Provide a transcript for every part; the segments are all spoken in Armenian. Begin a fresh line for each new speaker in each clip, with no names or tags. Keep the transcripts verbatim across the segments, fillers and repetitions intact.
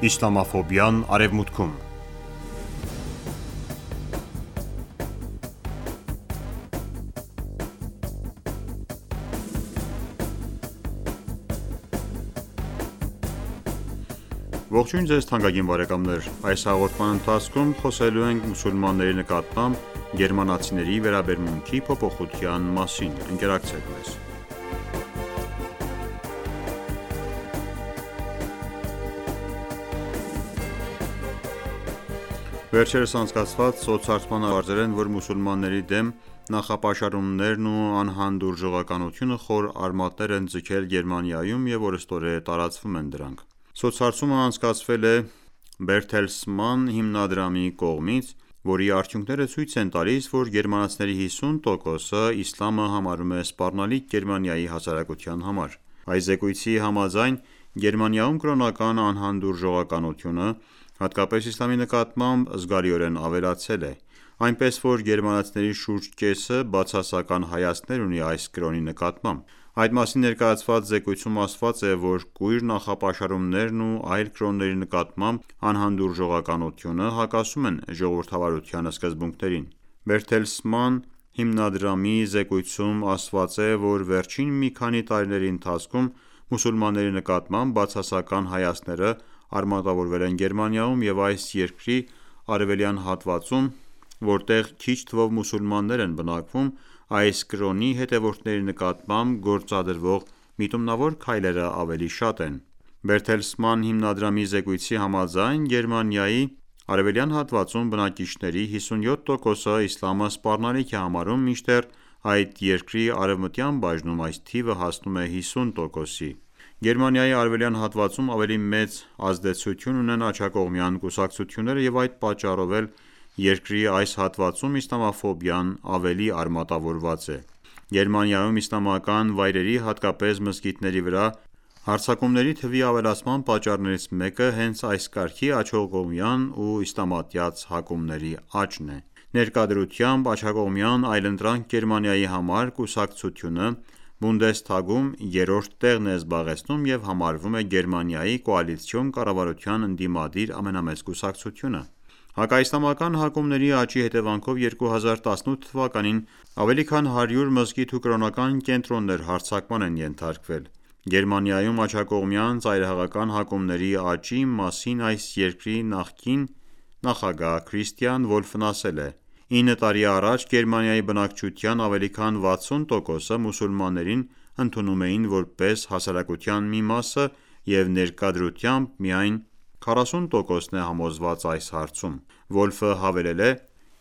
Իսլամաֆոբիան Արևմուտքում Ողջույն ձեզ թանկագին բարեկամներ: Այս հաղորդման ընթացքում խոսելու ենք մուսուլմանների նկատմամբ գերմանացիների վերաբերմունքի փոփոխության մասին: Ընկերակցեք մեզ: Վերջերս անցկացված սոցհարցմանը պարզել են, որ մուսուլմանների դեմ նախապաշարումներն ու անհանդուրժողականությունը խոր արմատներ են ձգել Գերմանիայում և օրըստօրե տարածվում են դրանք: Սոցհարցումը անցկացվել է Բերթելսման հիմնադրամի կողմից, որի արդյունքները ցույց են տալիս, որ գերմանացիների հիսուն տոկոսը իսլամը համարում է սպառնալիք Գերմանիայի հասարակության համար: Այս զեկույցի համաձայն, Գերմանիայում կրոնական անհանդուրժողականությունը, հատկապես իսլամի նկատմամբ, զգալիորեն ավելացել է, այնպես որ գերմանացիների շուրջ կեսը բացասական հայացքներ ունի այս կրոնի նկատմամբ: Այդ մասին ներկայացված զեկույցում ասված է, որ կույր նախապաշարումներն ու այլ կրոնների նկատմամբ անհանդուրժողականությունը հակասում են ժողովրդավարության սկզբունքներին: Բերթելսման հիմնադրամի զեկույցում ասված է, որ վերջին մի քանի տարիների ընթացքում մուսուլմանների նկատմամբ բացասական հայացքները արմատավորվել են Գերմանիայում և այս երկրի արևելյան հատվածում, որտեղ քիչ թվով մուսուլմաններ են բնակվում, այս կրոնի հետևորդների նկատմամբ գործադրվող միտումնավոր քայլերը ավելի շատ են: Բերթելսման հիմնադրամի զեկույցի համաձայն, Գերմանիայի արևելյան հատվածում բնակիչների հիսունյոթ տոկոսը իսլամը սպառնալիք է համարում, մինչդեռ այդ երկրի արևմտյան բաժնում այս թիվը հասնում է հիսուն տոկոսի: Գերմանիայի արևելյան հատվածում ավելի մեծ ազդեցություն ունեն աջակողմյան կուսակցությունները և այդ պատճառով էլ երկրի այս հատվածում իսլամաֆոբիան ավելի արմատավորված է: Գերմանիայում իսլամական վայրերի, հատկապես մզկիթների վրա հարձակումների թվի ավելացման պատճառներից մեկը հենց այս կարգի աջակողմյան ու իսլամատյաց հակումների աճն է: Ներկա դրությամբ աջակողմյան այլընտրանք Գերմանիայի համար կուսակցությունը Բունդեսթագում երրորդ տեղն է զբաղեցնում և համարվում է Գերմանիայի կոալիցիոն կառավարության ընդդիմադիր ամենամեծ կուսակցությունը: Հակաիսլամական հակումների աճի հետևանքով երկու հազար տասնութ թվականին ավելի քան հարյուր մզկիթ ու կրոնական կենտրոններ հարձակման են ենթարկվել: Գերմանիայում աջակողմյան ծայրահեղական հակումների աճի մասին այս երկրի նախկին նախագահ Քրիստիան Վոլֆն ասել է. «Ինը տարի առաջ Գերմանիայի բնակչության ավելի քան վաթսուն տոկոսը մուսուլմաններին ընդունում էին որպես հասարակության մի մասը և ներկա դրությամբ միայն քառասուն տոկոսն է համոզված այս հարցում»: Վոլֆը հավելել է.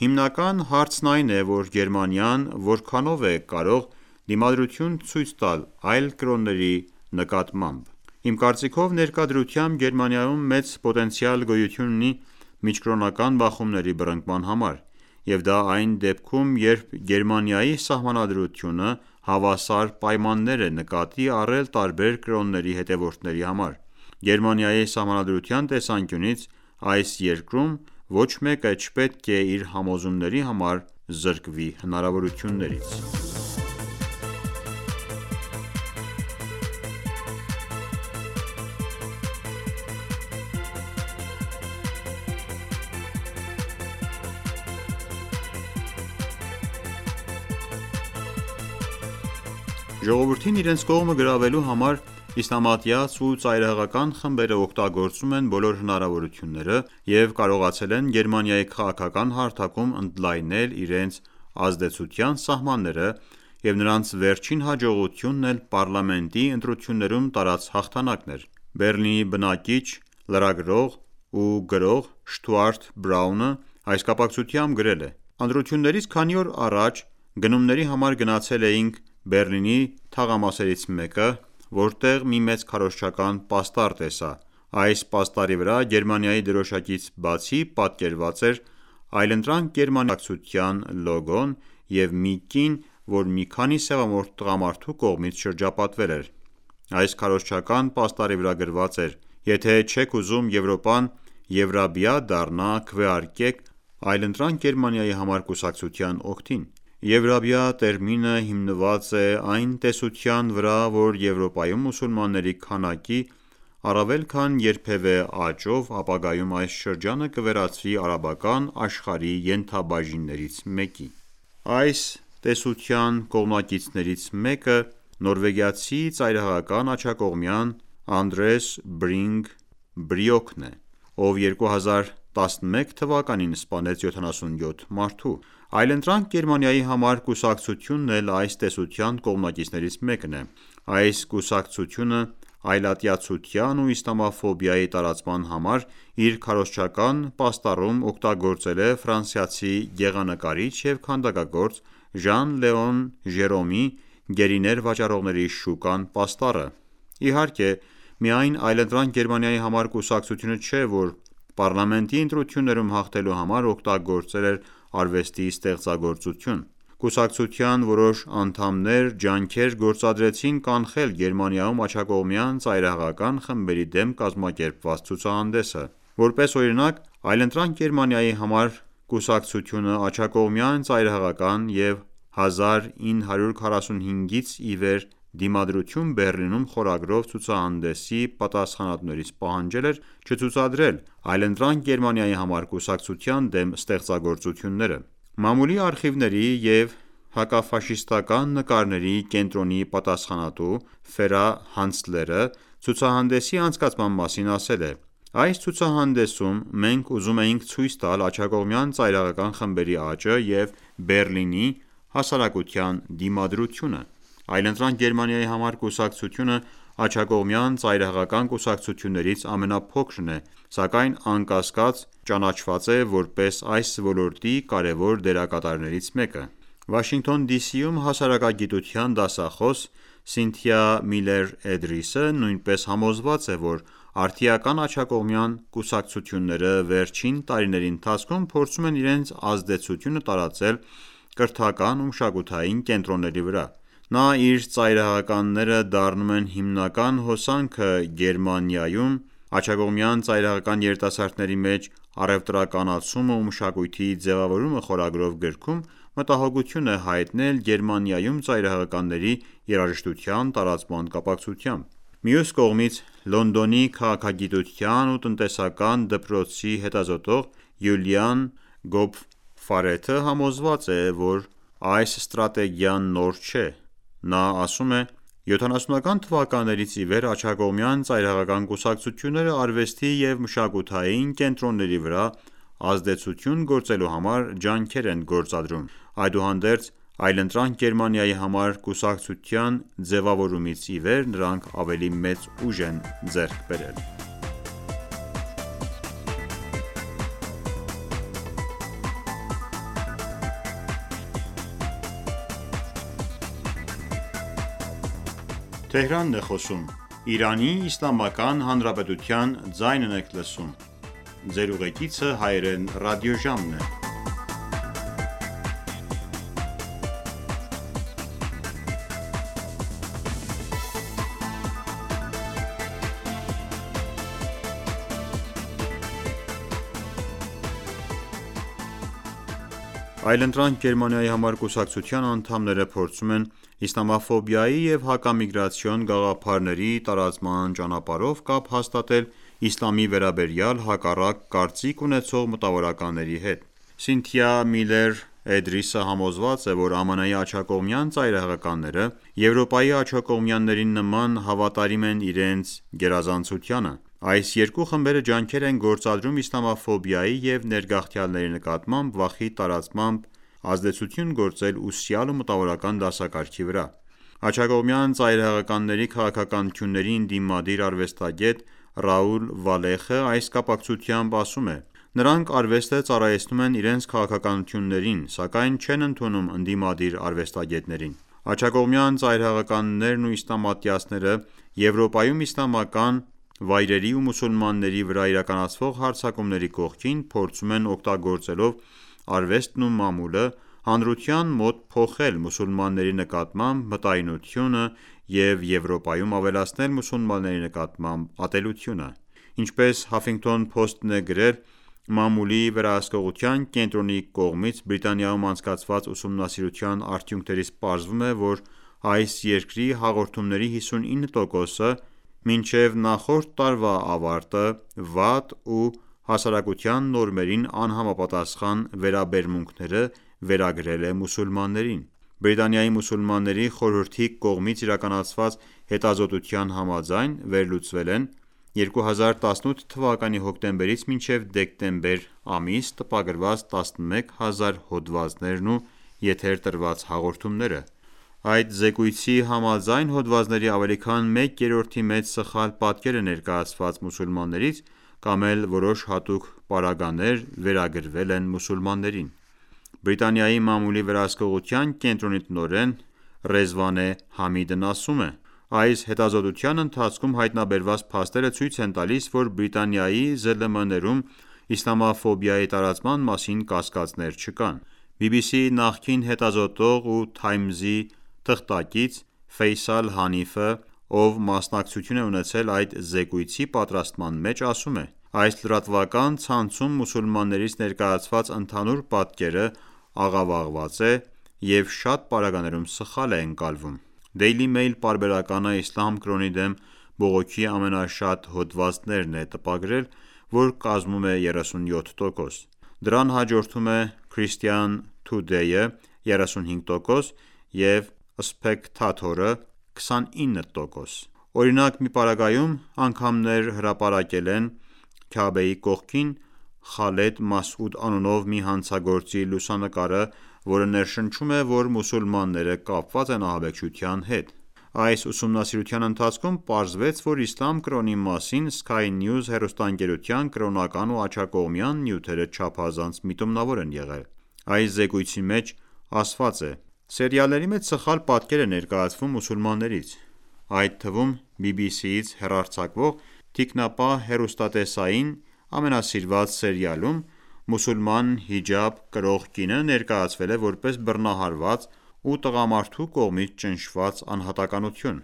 «Հիմնական հարցն այն է, որ Գերմանիան որքանով է կարող դիմադրություն ցույց տալ այլ կրոնների նկատմամբ: Իմ կարծիքով ներկա դրությամբ Գերմանիայում մեծ պոտենցիալ գոյություն ունի միջկրոնական բախումների բռնկման համար և դա այն դեպքում, երբ Գերմանիայի սահմանադրությունը հավասար պայմաններ է նկատի առել տարբեր կրոնների հետևորդների համար: Գերմանիայի սահմանադրության տեսանկյունից այս երկրում ոչ մեկը չպետք է իր համոզումների համար զրկվի հնարավորություններից»: Ժողովրդին իրենց կողմը գրավելու համար իսլամատյաց ու ծայրահեղական խմբերը օգտագործում են բոլոր հնարավորությունները և կարողացել են Գերմանիայի քաղաքական հարթակում ընդլայնել իրենց ազդեցության սահմանները և նրանց վերջին հաջողությունն էլ պառլամենտի ընտրություններում տարած հաղթանակն էր: Բեռլինի բնակիչ, լրագրող ու գրող Շտուարտ Բրաունը այս կապակցությամբ գրել է. «Ընտրություններից քանի օր առաջ գնումների համար գնացել էինք Բեռլինի թաղամասերից մեկը, որտեղ մի մեծ քարոզչական պաստառ տեսա: Այս պաստառի վրա Գերմանիայի դրոշակից բացի պատկերված էր «Այլընտրանք Գերմանիա» կուսակցության լոգոն և մի կին, որ մի քանի սևամորթ տղամարդու կողմից շրջապատվել էր: Այս քարոզչական պաստառի վրա գրված էր. «Եթե չեք ուզում Եվրոպան Եվրաբիա դառնա, քվեարկեք «Այլընտրանք Գերմանիայի» համար կուսակցության օգտին»: Եվրաբիա տերմինը հիմնված է այն տեսության վրա, որ Եվրոպայում մուսուլմանների քանակի առավել քան երբևէ աճով ապագայում այս շրջանը կվերածվի արաբական աշխարհի ենթաբաժիններից մեկի: Այս տեսության կողմնակիցներից մեկը նորվեգացի ծայրահեղական աջակողմյան Անդրես Բրինգ Բրիոքն է, ով երկու հազար տասնմեկ թվականին սպանեց յոթանասունյոթ մարդու: Այլընտրանք Գերմանիայի համար կուսակցությունն էլ այս տեսության կողմնակիցներից մեկն է: Այս կուսակցությունը այլատյացության ու իսլամաֆոբիայի տարածման համար իր քարոզչական պաստառում օգտագործել է ֆրանսիացի գեղանկարիչ և քանդակագործ Ժան-Լեոն Ժերոմի «Գերիներ վաճառողների շուկան» պաստառը: Իհարկե միայն Այլընտրանք Գերմանիայի համար կուսակցությունը չէ, որ պառլամենտի ընտրություններում հաղթելու համար օգտագործել էր արվեստի ստեղծագործություն: Կուսակցության որոշ անդամներ ջանքեր գործադրեցին կանխել Գերմանիայում աջակողմյան ծայրահեղական խմբերի դեմ կազմակերպված ցուցահանդեսը: Որպես օրինակ Այլընտրանք Գերմանիայի համար կուսակցությունը աջակողմյան ծայրահեղական և հազար ինը հարյուր քառասունհինգից ի վեր «Դիմադրություն Բեռլինում» խորագրով ցուցահանդեսի պատասխանատուներից պահանջել էր չցուցադրել Այլընտրանք Գերմանիայի համար կուսակցության դեմ ստեղծագործությունները: Մամուլի արխիվների և հակաֆաշիստական նկարների կենտրոնի պատասխանատու Ֆերա Հանցլերը ցուցահանդեսի անցկացման մասին ասել է. «Այս ցուցահանդեսում մենք ուզում էինք ցույց տալ աջակողմյան ծայրահեղական խմբերի աճը և Բեռլինի հասարակության դիմադրությունը: Այլընտրանք Գերմանիայի համար կուսակցությունը աջակողմյան ծայրահեղական կուսակցություններից ամենափոքրն է, սակայն անկասկած ճանաչված է որպես այս ոլորտի կարևոր դերակատարներից մեկը»: Վաշինգտոն ԴԻ.Սիում հասարակագիտության դասախոս Սինթիա Միլեր Էդրիսը նույնպես համոզված է, որ արդիական աջակողմյան կուսակցությունները վերջին տարիների ընթացքում փորձում են իրենց ազդեցությունը տարածել կրթական ու մշակութային կենտրոնների վրա: Նա իր ծայրահեղականները դառնում են հիմնական հոսանքը Գերմանիայում աջակողմյան ծայրահեղական երիտասարդների մեջ առևտրականացումը ու մշակույթի ձևավորումը խորագրով գրքում մտահոգություն է հայտնել Գերմանիայում ծայրահեղականների երաժշտության տարածման կապակցությամբ: Մյուս կողմից Լոնդոնի քաղաքագիտության ու տնտեսական դպրոցի հետազոտող Յուլիան Գոփֆարեթը համոզված է, որ այս ստրատեգիան նոր չէ: Նա ասում է. «յոթանասունական թվականներից ի վեր աջակողմյան ծայրահեղական կուսակցությունները արվեստի և մշակութային կենտրոնների վրա ազդեցություն գործելու համար ջանքեր են գործադրում: Այդուհանդերձ Այլընտրանք Գերմանիայի համար կուսակցության ձևավորումից ի վեր նրանք ավելի մեծ ուժ են ձեռք բերել»: Այլընտրանք Գերմանիայի համար կուսակցության անդամները փորձում են իսլամաֆոբիայի և հակամիգրացիոն գաղափարների տարածման ճանապարհով կապ հաստատել իսլամի վերաբերյալ հակառակ կարծիք ունեցող մտավորականների հետ: Սինթիա Միլեր Էդրիսը համոզված է, որ ԱՄՆ-ի աջակողմյան ծայրահեղականները Եվրոպայի աջակողմյանների նման հավատարիմ են իրենց գերազանցությանը: Այս երկու խմբերը ջանքեր են գործադրում իսլամաֆոբիայի և ներգաղթյալների նկատմամբ վախի տարածմամբ ազդեցություն գործել ուսյալ ու մտավորական դասակարգի վրա: Աջակողմյան ծայրահեղականների քաղաքականությունների ընդդիմադիր արվեստագետ Ռաուլ Վալեխը այս կապակցությամբ ասում է. «Նրանք արվեստը ծառայեցնում են իրենց քաղաքականություններին, սակայն չեն ընդունում ընդդիմադիր արվեստագետներին: Աջակողմյան ծայրահեղականներն ու իսլամատյացները Եվրոպայում իսլամական վայրերի ու մուսուլմանների վրա իրականացվող հարձակումների կողքին փորձում են օգտագործելով արվեստն ու մամուլը հանրության մոտ փոխել մուսուլմանների նկատմամբ մտայնությունը և Եվրոպայում ավելացնել մուսուլմանների նկատմամբ ատելությունը»: Ինչպես Huffington Post-ն է գրել, Մամուլի վերահսկողության կենտրոնի կողմից Բրիտանիայում անցկացված ուսումնասիրության արդյունքներից պարզվում է, որ այս երկրի հաղորդումների հիսունինը տոկոսը Մինչև նախորդ տարվա ավարտը վատ ու հասարակության նորմերին անհամապատասխան վերաբերմունքները վերագրել է մուսուլմաններին: Բրիտանիայի մուսուլմանների խորհրդի կողմից իրականացված հետազոտության համաձայն վերլուծվել են երկու հազար տասնութ թվականի հոկտեմբերից մինչև դեկտեմբեր ամիս տպագրված տասնմեկ հազար հոդվածներն ու եթեր տրված հաղորդումները: Այդ զեկույցի համաձայն հոդվածների ավելի քան մեկ երրորդի մեծ սխալ պատկեր է ներկայացված մուսուլմաններից կամ էլ որոշ հատուկ պարագաներ վերագրվել են մուսուլմաններին: Բրիտանիայի մամուլի վերահսկողության կենտրոնի տնօրեն Ռեզվանե Համիդն ասում է. «Այս հետազոտության ընթացքում հայտնաբերված փաստերը ցույց են տալիս, որ Բրիտանիայի ԶԼՄ-ներում իսլամաֆոբիայի տարածման մասին կասկածներ չկան»: բի բի սի-ի նախկին հետազոտող ու Թայմզի թղթակից Ֆեյսալ Հանիֆը, ով մասնակցություն է ունեցել այդ զեկույցի պատրաստման մեջ, ասում է. «Այս լրատվական ցանցում մուսուլմաններից ներկայացված ընդհանուր պատկերը աղավաղված է և շատ պարագաներում սխալ է ընկալվում»: Daily Mail պարբերականը իսլամ կրոնի դեմ բողոքի ամենաշատ հոդվածներն է տպագրել, որ կազմում է երեսունյոթ տոկոս: Դրան հաջորդում է Christian Today-ը երեսունհինգ տոկոս և Spectator-ը քսանինը տոկոս: Օրինակ, մի պարագայում անգամներ հրապարակել են Քաաբեի կողքին Խալեդ Մասուդ անունով մի հանցագործի լուսանկարը, որը ներշնչում է, որ մուսուլմանները կապված են ահաբեկչության հետ: Այս ուսումնասիրության ընթացքում պարզվեց, որ իսլամ կրոնի մասին Sky News հեռուստաընկերության կրոնական ու աջակողմյան նյութերը չափազանց միտումնավոր են եղել: Այս զեկույցի մեջ ասված է. «Սերիալների մեջ սխալ պատկեր է ներկայացվում մուսուլմաններից: Այդ թվում բի բի սի-ից հեռարձակվող «Թիկնապահ» հեռուստատեսային ամենասիրված սերիալում մուսուլման հիջաբ կրող կինը ներկայացվել է որպես բռնահարված ու տղամարդու կողմից ճնշված անհատականություն»: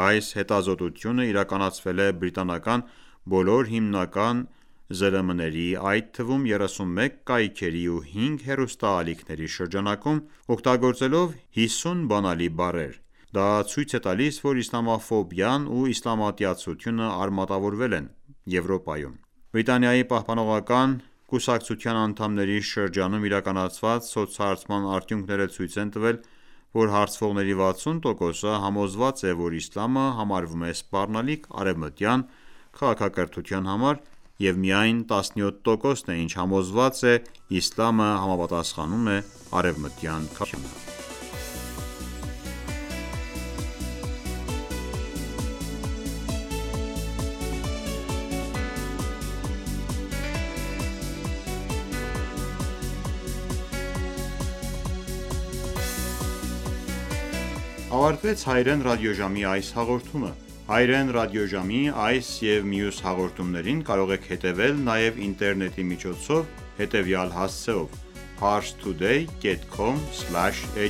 Այս հետազոտությունը իրականացվել է բրիտանական բոլոր հիմնական ԶԼՄ-ների, այդ թվում երեսունմեկ կայքերի ու հինգ հեռուստաալիքների շրջանակում, օգտագործելով հիսուն բանալի բառեր: Դա ցույց է տալիս, որ իսլամաֆոբիան ու իսլամատյացությունը արմատավորվել են Եվրոպայում: Բրիտանիայի պահպանողական կուսակցության անդամների շրջանում իրականացված սոցհարցման արդյունքները ցույց են տվել, որ հարցվողների վաթսուն տոկոսը համոզված է, որ իսլամը համարվում է սպառնալիք արևմտյան քաղաքակրթության համար և միայն տասնյոթ տոկոսն է, ինչ համոզված է իսլամը համապատասխանում է արևմտյան քաղաքակրթությանը: Ավարտվեց հայրեն ռադիոժամի այս հաղորդումը: Հայրեն ռադիոժամի այս և մյուս հաղորդումներին կարող եք հետևել նաև ինտերնետի միջոցով հետևյալ հասցեով՝ parstoday dot com slash hy